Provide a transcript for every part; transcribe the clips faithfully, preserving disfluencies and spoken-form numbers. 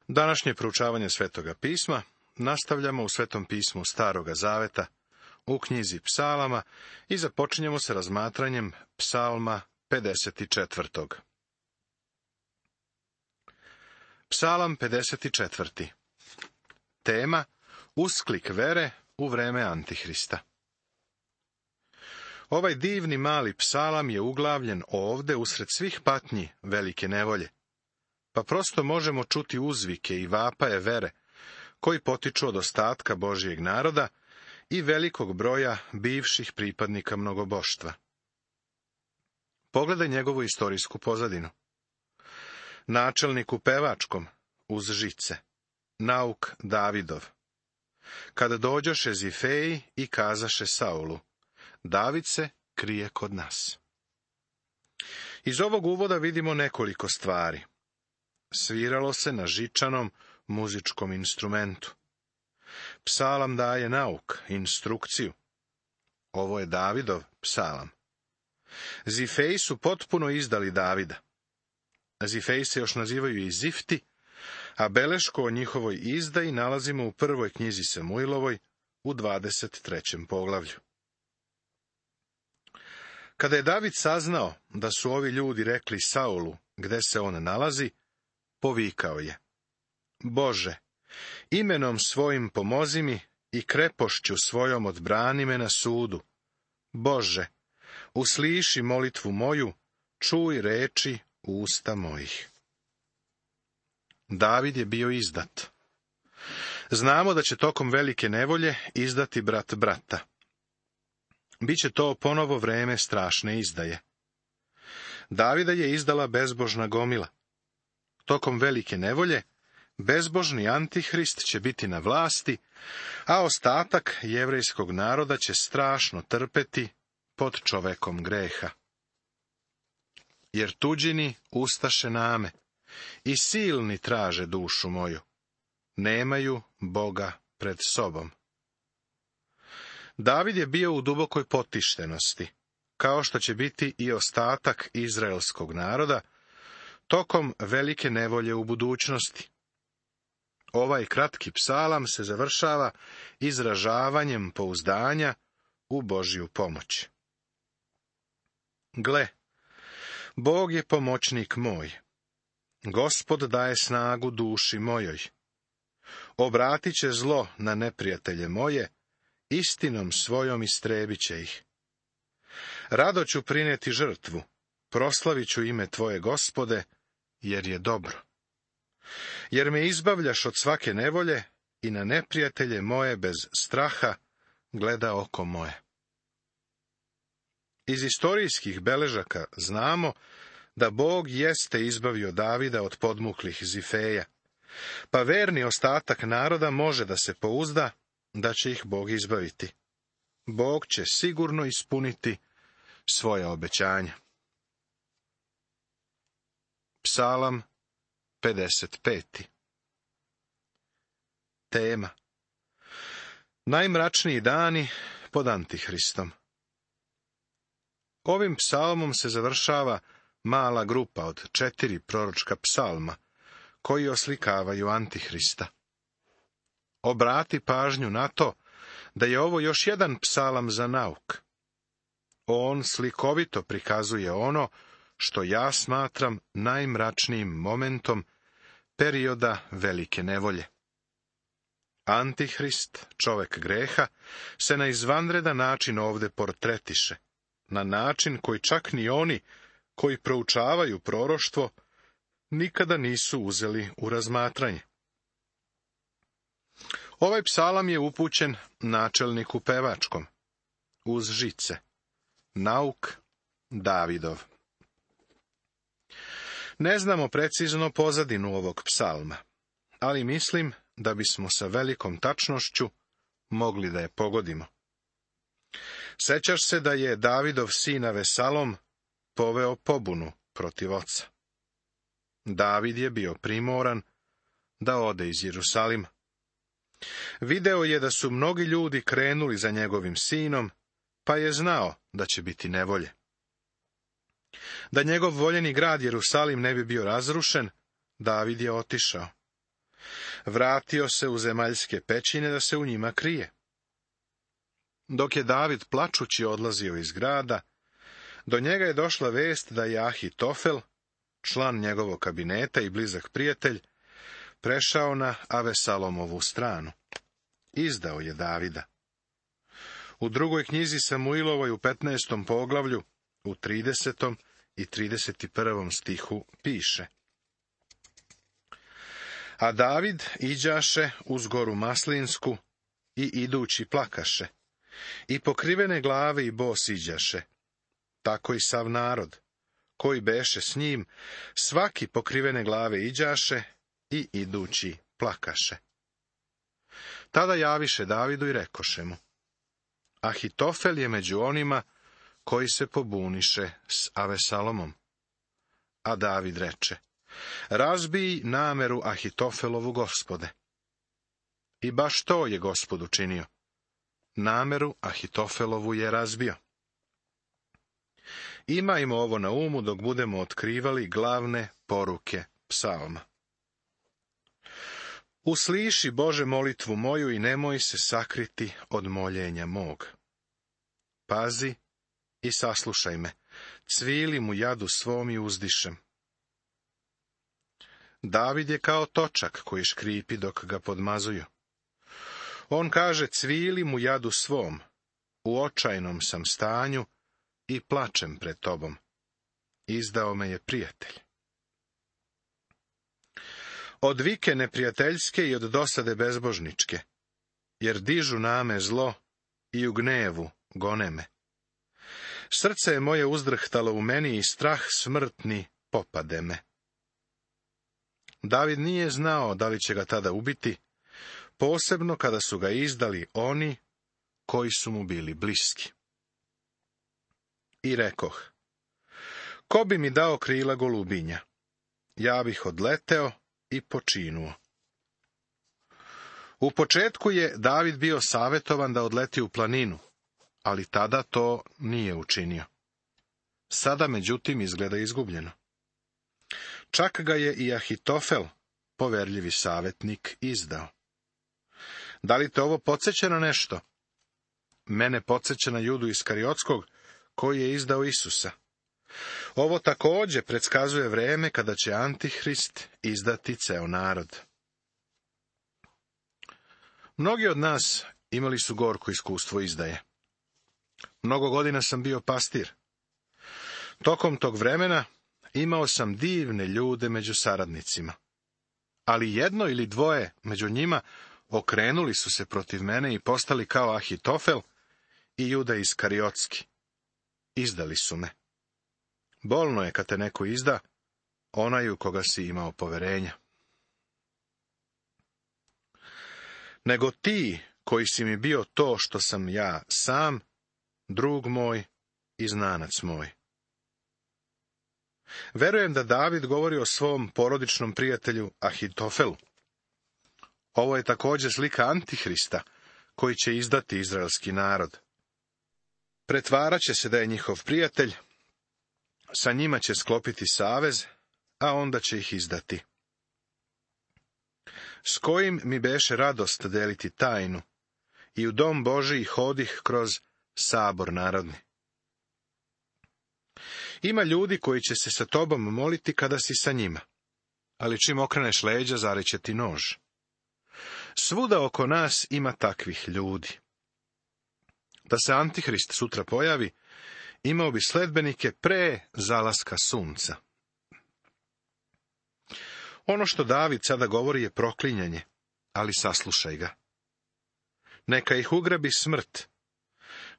Današnje proučavanje Svetoga pisma nastavljamo u Svetom pismu Staroga zaveta, u knjizi Psalama i započinjemo sa razmatranjem Psalma pedeset četvrtog. Psalam pedeset četvrti. Tema: Usklik vere u vreme Antihrista. Ovaj divni mali psalam je uglavljen ovde usred svih patnji velike nevolje, pa prosto možemo čuti uzvike i vapaje vere, koji potiču od ostatka Božijeg naroda i velikog broja bivših pripadnika mnogoboštva. Pogledaj njegovu istorijsku pozadinu. Načelnik u pevačkom, uz žice, nauk Davidov. Kada dođoše Zifeji i kazaše Saulu, David se krije kod nas. Iz ovog uvoda vidimo nekoliko stvari. Sviralo se na žičanom muzičkom instrumentu. Psalam daje nauk, instrukciju. Ovo je Davidov psalam. Zifeji su potpuno izdali Davida. Zifeji se još nazivaju i Zifti, a belešku o njihovoj izdaji nalazimo u prvoj knjizi Samuilovoj, u dvadeset trećem poglavlju. Kada je David saznao da su ovi ljudi rekli Saulu gde se on nalazi, povikao je: Bože, imenom svojim pomozi mi i krepošću svojom odbrani me na sudu. Bože, usliši molitvu moju, čuj reči usta mojih. David je bio izdat. Znamo da će tokom velike nevolje izdati brat brata. Biće to ponovo vreme strašne izdaje. Davida je izdala bezbožna gomila. Tokom velike nevolje bezbožni Antihrist će biti na vlasti, a ostatak jevrejskog naroda će strašno trpeti pod čovekom greha. Jer tuđini ustaše name i silni traže dušu moju. Nemaju Boga pred sobom. David je bio u dubokoj potištenosti, kao što će biti i ostatak izraelskog naroda, tokom velike nevolje u budućnosti. Ovaj kratki psalam se završava izražavanjem pouzdanja u Božju pomoć. Gle, Bog je pomoćnik moj. Gospod daje snagu duši mojoj. Obratit će zlo na neprijatelje moje, istinom svojom istrebit će ih. Rado ću prineti žrtvu, proslavit ću ime Tvoje, Gospode, jer je dobro. Jer me izbavljaš od svake nevolje i na neprijatelje moje bez straha gleda oko moje. Iz istorijskih beležaka znamo da Bog jeste izbavio Davida od podmuklih Zifeja, pa verni ostatak naroda može da se pouzda da će ih Bog izbaviti. Bog će sigurno ispuniti svoje obećanja. Psalam pedeset peti. Tema: Najmračniji dani pod Antihristom. Ovim psalmom se završava mala grupa od četiri proročka psalma, koji oslikavaju Antihrista. Obrati pažnju na to da je ovo još jedan psalam za nauk. On slikovito prikazuje ono što ja smatram najmračnijim momentom perioda velike nevolje. Antihrist, čovek greha, se na izvanredan način ovde portretiše, na način koji čak ni oni koji proučavaju proroštvo nikada nisu uzeli u razmatranje. Ovaj psalam je upućen načelniku pevačkom, uz žice, nauk Davidov. Ne znamo precizno pozadinu ovog psalma, ali mislim da bismo sa velikom tačnošću mogli da je pogodimo. Sećaš se da je Davidov sin Avesalom poveo pobunu protiv oca. David je bio primoran da ode iz Jerusalima. Video je da su mnogi ljudi krenuli za njegovim sinom, pa je znao da će biti nevolje. Da njegov voljeni grad Jerusalim ne bi bio razrušen, David je otišao. Vratio se u zemaljske pećine da se u njima krije. Dok je David plačući odlazio iz grada, do njega je došla vest da je Ahitofel, član njegovog kabineta i blizak prijatelj, prešao na Avesalomovu stranu. Izdao je Davida. U drugoj knjizi Samuilovoj u petnaestom poglavlju, u tridesetom i trideset prvom stihu piše: A David iđaše uz goru Maslinsku i idući plakaše, i pokrivene glave i bos iđaše, tako i sav narod, koji beše s njim, svaki pokrivene glave iđaše i idući plakaše. Tada javiše Davidu i rekoše mu: Ahitofel je među onima koji se pobuniše s Avesalomom. A David reče: Razbij nameru Ahitofelovu, Gospode. I baš to je Gospod učinio. Nameru Ahitofelovu je razbio. Imajmo ovo na umu dok budemo otkrivali glavne poruke psalma. Usliši, Bože, molitvu moju i nemoj se sakriti od moljenja mog. Pazi i saslušaj me, cvilim u jadu svom i uzdišem. David je kao točak koji škripi dok ga podmazuju. On kaže: cvilim u jadu svom, u očajnom sam stanju i plačem pred tobom. Izdao me je prijatelj. Od vike neprijateljske i od dosade bezbožničke, jer dižu na me zlo i u gnevu gone me. Srce je moje uzdrhtalo u meni i strah smrtni popade me. David nije znao da li će ga tada ubiti, posebno kada su ga izdali oni koji su mu bili bliski. I rekoh: ko bi mi dao krila golubinja? Ja bih odleteo i počinuo. U početku je David bio savjetovan da odleti u planinu, ali tada to nije učinio. Sada, međutim, izgleda izgubljeno. Čak ga je i Ahitofel, poverljivi savjetnik, izdao. Da li te ovo podsjeća na nešto? Mene podsjeća na Judu Iskariotskog, koji je izdao Isusa. Ovo također predskazuje vreme kada će Antihrist izdati ceo narod. Mnogi od nas imali su gorko iskustvo izdaje. Mnogo godina sam bio pastir. Tokom tog vremena imao sam divne ljude među saradnicima. Ali jedno ili dvoje među njima okrenuli su se protiv mene i postali kao Ahitofel i Juda Iskariotski. Izdali su me. Bolno je kad te neko izda, onaj u koga si imao poverenja. Nego ti, koji si mi bio to što sam ja sam, drug moj i znanac moj. Verujem da David govori o svom porodičnom prijatelju Ahitofelu. Ovo je također slika Antihrista, koji će izdati izraelski narod. Pretvarat će se da je njihov prijatelj, sa njima će sklopiti savez, a onda će ih izdati. S kojim mi beše radost deliti tajnu, i u dom Božiji hodih kroz sabor narodni. Ima ljudi koji će se sa tobom moliti kada si sa njima, ali čim okreneš leđa, zareće ti nož. Svuda oko nas ima takvih ljudi. Da se Antihrist sutra pojavi, imao bi sledbenike pre zalaska sunca. Ono što David sada govori je proklinjanje, ali saslušaj ga. Neka ih ugrabi smrt,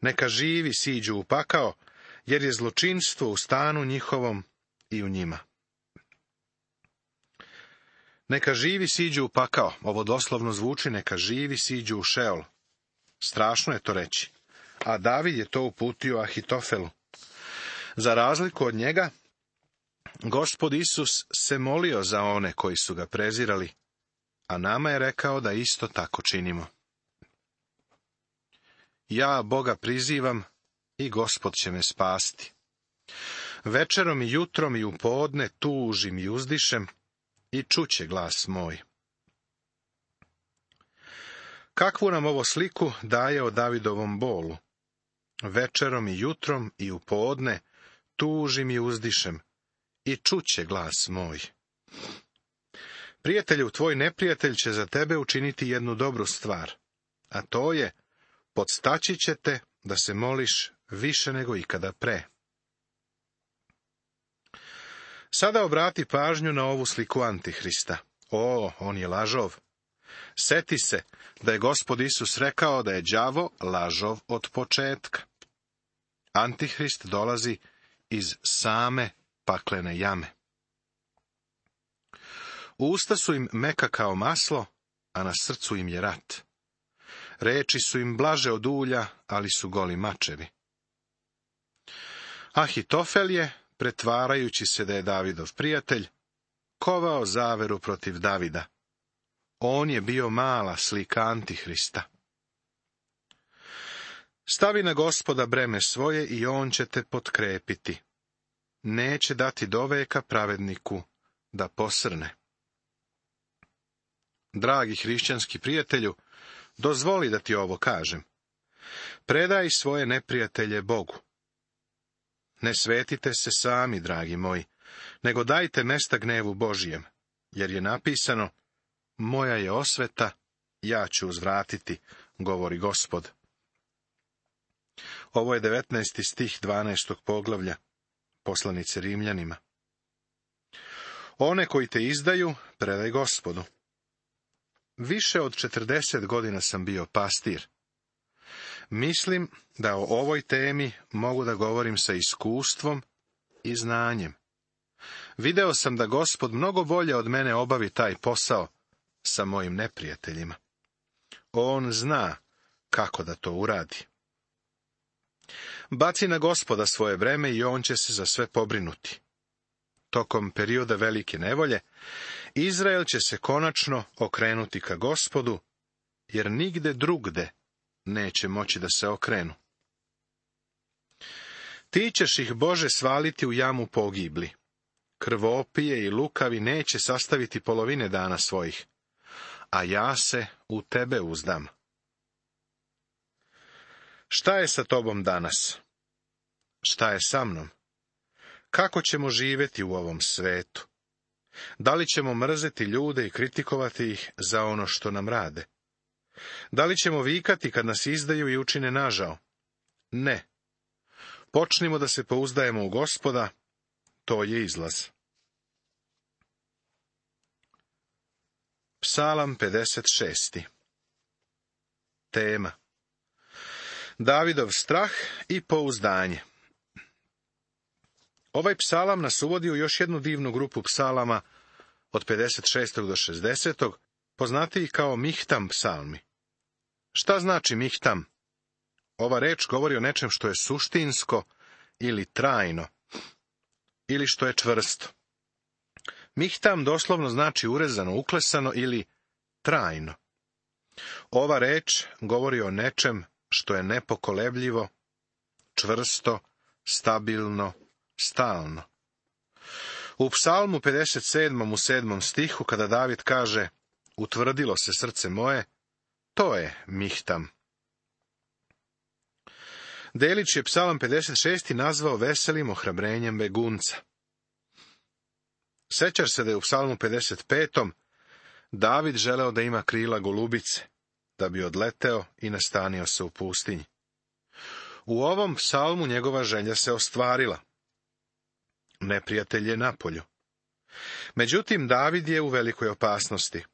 neka živi siđu u pakao, jer je zločinstvo u stanu njihovom i u njima. Neka živi siđu u pakao, ovo doslovno zvuči neka živi siđu u šeol. Strašno je to reći, a David je to uputio Ahitofelu. Za razliku od njega, Gospod Isus se molio za one koji su ga prezirali, a nama je rekao da isto tako činimo. Ja Boga prizivam i Gospod će me spasti. Večerom i jutrom i u podne tužim i uzdišem i čuće glas moj. Kakvu nam ovo sliku daje o Davidovom bolu? Večerom i jutrom i u podne tužim i uzdišem, i čuće glas moj. Prijatelju, tvoj neprijatelj će za tebe učiniti jednu dobru stvar, a to je, podstaći će te da se moliš više nego ikada pre. Sada obrati pažnju na ovu sliku Antihrista. O, on je lažov. Seti se da je Gospod Isus rekao da je đavo lažov od početka. Antihrist dolazi iz same paklene jame. Usta su im meka kao maslo, a na srcu im je rat. Reči su im blaže od ulja, ali su goli mačevi. Ahitofel je, pretvarajući se da je Davidov prijatelj, kovao zaveru protiv Davida. On je bio mala slika Antihrista. Stavi na Gospoda breme svoje i on će te potkrepiti. Neće dati doveka pravedniku da posrne. Dragi hrišćanski prijatelju, dozvoli da ti ovo kažem. Predaj svoje neprijatelje Bogu. Ne svetite se sami, dragi moji, nego dajte mesta gnevu Božijem, jer je napisano, moja je osveta, ja ću uzvratiti, govori Gospod. Ovo je devetnaesti stih dvanaestog poglavlja poslanice Rimljanima. One koji te izdaju, predaj Gospodu. Više od četrdeset godina sam bio pastir. Mislim da o ovoj temi mogu da govorim sa iskustvom i znanjem. Video sam da Gospod mnogo bolje od mene obavi taj posao sa mojim neprijateljima. On zna kako da to uradi. Baci na Gospoda svoje breme i on će se za sve pobrinuti. Tokom perioda velike nevolje, Izrael će se konačno okrenuti ka Gospodu, jer nigde drugde neće moći da se okrenu. Ti ćeš ih, Bože, svaliti u jamu pogibli. Krvopije i lukavi neće sastaviti polovine dana svojih, a ja se u tebe uzdam. Šta je sa tobom danas? Šta je sa mnom? Kako ćemo živjeti u ovom svetu? Da li ćemo mrzeti ljude i kritikovati ih za ono što nam rade? Da li ćemo vikati kad nas izdaju i učine nažao? Ne. Počnimo da se pouzdajemo u Gospoda, to je izlaz. Psalam pedeset šest. Tema: Davidov strah i pouzdanje. Ovaj psalam nas uvodi u još jednu divnu grupu psalama od pedeset šestog do šezdesetog, poznatiji kao Mihtam psalmi. Šta znači Mihtam? Ova reč govori o nečem što je suštinsko ili trajno, ili što je čvrsto. Mihtam doslovno znači urezano, uklesano ili trajno. Ova reč govori o nečem što je nepokolebljivo, čvrsto, stabilno, stalno. U psalmu pedeset sedmom u sedmom stihu, kada David kaže, utvrdilo se srce moje, to je Mihtam. Delić je psalam pedeset šest nazvao veselim ohrabrenjem begunca. Sećaš se da je u psalmu pedeset petom David želeo da ima krila golubice, da bi odleteo i nastanio se u pustinji. U ovom psalmu njegova želja se ostvarila. Neprijatelj je napolju. Međutim, David je u velikoj opasnosti.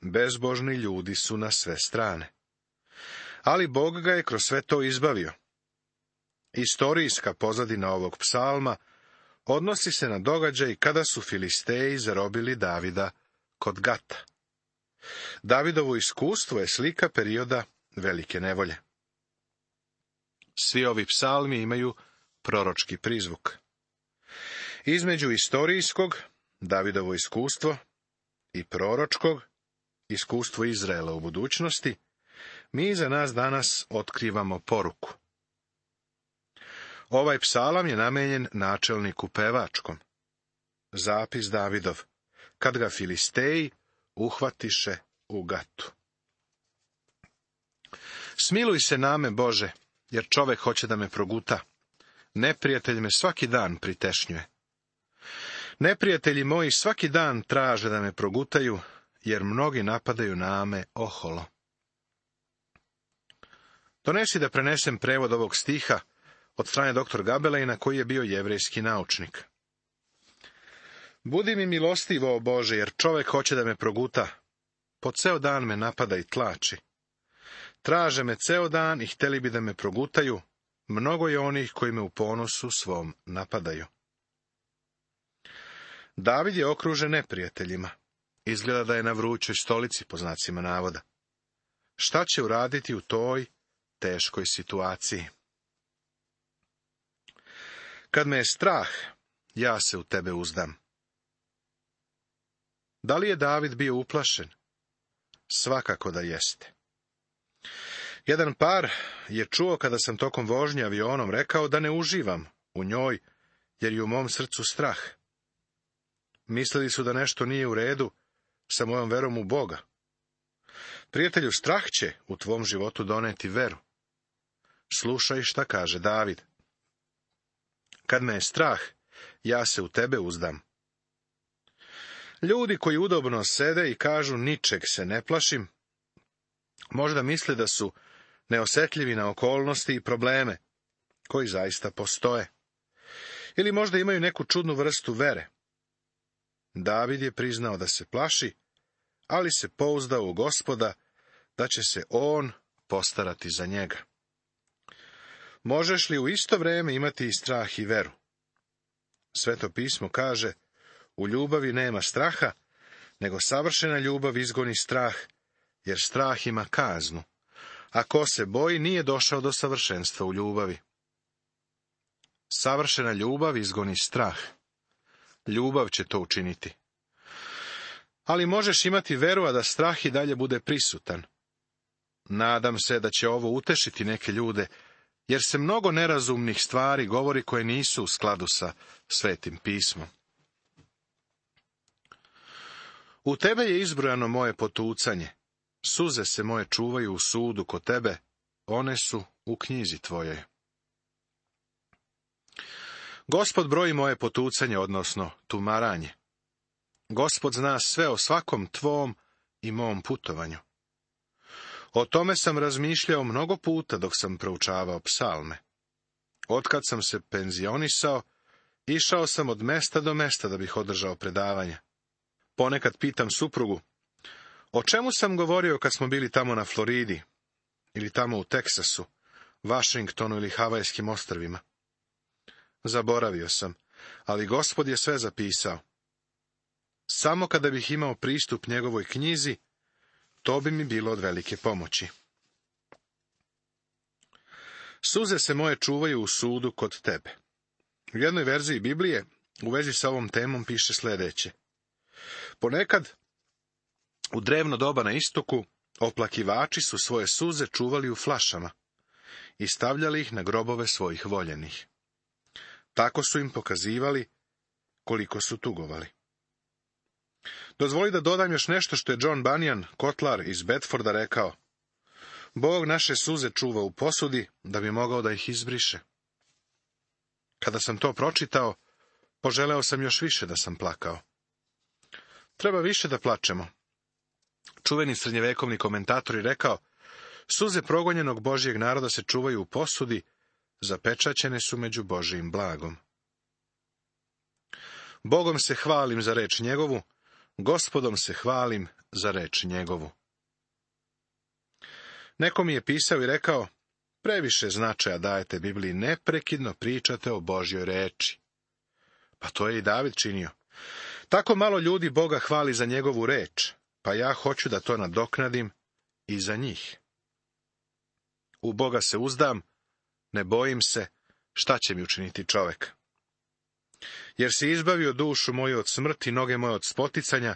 Bezbožni ljudi su na sve strane. Ali Bog ga je kroz sve to izbavio. Istorijska pozadina ovog psalma odnosi se na događaj kada su Filisteji zarobili Davida kod Gata. Davidovo iskustvo je slika perioda velike nevolje. Svi ovi psalmi imaju proročki prizvuk. Između istorijskog, Davidovo iskustvo, i proročkog, iskustvo Izraela u budućnosti, mi za nas danas otkrivamo poruku. Ovaj psalam je namenjen načelniku pevačkom. Zapis Davidov, kad ga Filisteji uhvatiše u Gatu. Smiluj se name, Bože, jer čovek hoće da me proguta. Neprijatelj me svaki dan pritešnjuje. Neprijatelji moji svaki dan traže da me progutaju, jer mnogi napadaju name oholo. Donesi da prenesem prevod ovog stiha od strane doktor Gabelejna, koji je bio jevrejski naučnik. Budi mi milostivo, o Bože, jer čovek hoće da me proguta. Po ceo dan me napada i tlači. Traže me ceo dan i hteli bi da me progutaju. Mnogo je onih koji me u ponosu svom napadaju. David je okružen neprijateljima. Izgleda da je na vrućoj stolici, po znacima navoda. Šta će uraditi u toj teškoj situaciji? Kad me je strah, ja se u tebe uzdam. Da li je David bio uplašen? Svakako da jeste. Jedan par je čuo kada sam tokom vožnje avionom rekao da ne uživam u njoj, jer je u mom srcu strah. Mislili su da nešto nije u redu sa mojom verom u Boga. Prijatelju, strah će u tvom životu doneti veru. Slušaj šta kaže David. Kad me je strah, ja se u tebe uzdam. Ljudi koji udobno sede i kažu ničeg se ne plašim, možda misle da su neosetljivi na okolnosti i probleme koji zaista postoje. Ili možda imaju neku čudnu vrstu vere. David je priznao da se plaši, ali se pouzdao u Gospoda da će se on postarati za njega. Možeš li u isto vrijeme imati i strah i veru? Sveto pismo kaže, u ljubavi nema straha, nego savršena ljubav izgoni strah, jer strah ima kaznu. A ko se boji, nije došao do savršenstva u ljubavi. Savršena ljubav izgoni strah. Ljubav će to učiniti. Ali možeš imati veru, a da strah i dalje bude prisutan. Nadam se da će ovo utešiti neke ljude, jer se mnogo nerazumnih stvari govori koje nisu u skladu sa Svetim pismom. U tebe je izbrojano moje potucanje. Suze se moje čuvaju u sudu kod tebe, one su u knjizi tvojoj. Gospod broji moje potucanje, odnosno tumaranje. Gospod zna sve o svakom tvom i mom putovanju. O tome sam razmišljao mnogo puta dok sam proučavao psalme. Otkad sam se penzionisao, išao sam od mesta do mesta da bih održao predavanja. Ponekad pitam suprugu, o čemu sam govorio kad smo bili tamo na Floridi, ili tamo u Teksasu, Vašingtonu ili Havajskim ostrvima. Zaboravio sam, ali Gospod je sve zapisao. Samo kada bih imao pristup njegovoj knjizi, to bi mi bilo od velike pomoći. Suze se moje čuvaju u sudu kod tebe. U jednoj verziji Biblije u vezi sa ovom temom piše sljedeće. Ponekad, u drevno doba na istoku, oplakivači su svoje suze čuvali u flašama i stavljali ih na grobove svojih voljenih. Tako su im pokazivali koliko su tugovali. Dozvoli da dodam još nešto što je John Bunyan, kotlar iz Bedforda, rekao. Bog naše suze čuva u posudi, da bi mogao da ih izbriše. Kada sam to pročitao, poželeo sam još više da sam plakao. Treba više da plačemo. Čuveni srednjevekovni komentator je rekao, suze progonjenog Božjeg naroda se čuvaju u posudi, zapečaćene su među Božjim blagom. Bogom se hvalim za reč njegovu, Gospodom se hvalim za reč njegovu. Neko mi je pisao i rekao, previše značaja dajete Bibliji, neprekidno pričate o Božjoj reči. Pa to je i David činio. Tako malo ljudi Boga hvali za njegovu reč, pa ja hoću da to nadoknadim i za njih. U Boga se uzdam, ne bojim se šta će mi učiniti čovek. Jer si izbavio dušu moju od smrti, noge moje od spoticanja,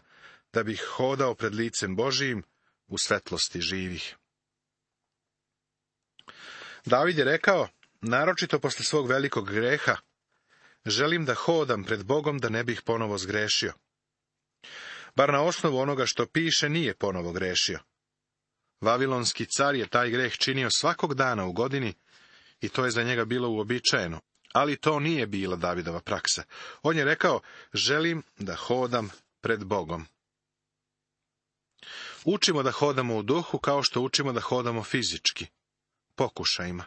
da bih hodao pred licem Božijim u svetlosti živih. David je rekao, naročito posle svog velikog greha, želim da hodam pred Bogom da ne bih ponovo zgrešio. Bar na osnovu onoga što piše nije ponovo grešio. Vavilonski car je taj greh činio svakog dana u godini i to je za njega bilo uobičajeno. Ali to nije bila Davidova praksa. On je rekao, želim da hodam pred Bogom. Učimo da hodamo u duhu kao što učimo da hodamo fizički, pokušajima.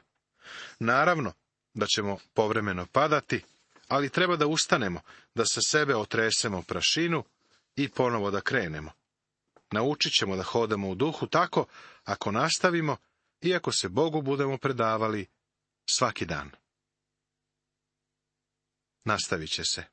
Naravno da ćemo povremeno padati, ali treba da ustanemo, da sa sebe otresemo prašinu i ponovo da krenemo. Naučit ćemo da hodamo u duhu tako ako nastavimo i ako se Bogu budemo predavali svaki dan. Nastavit će se.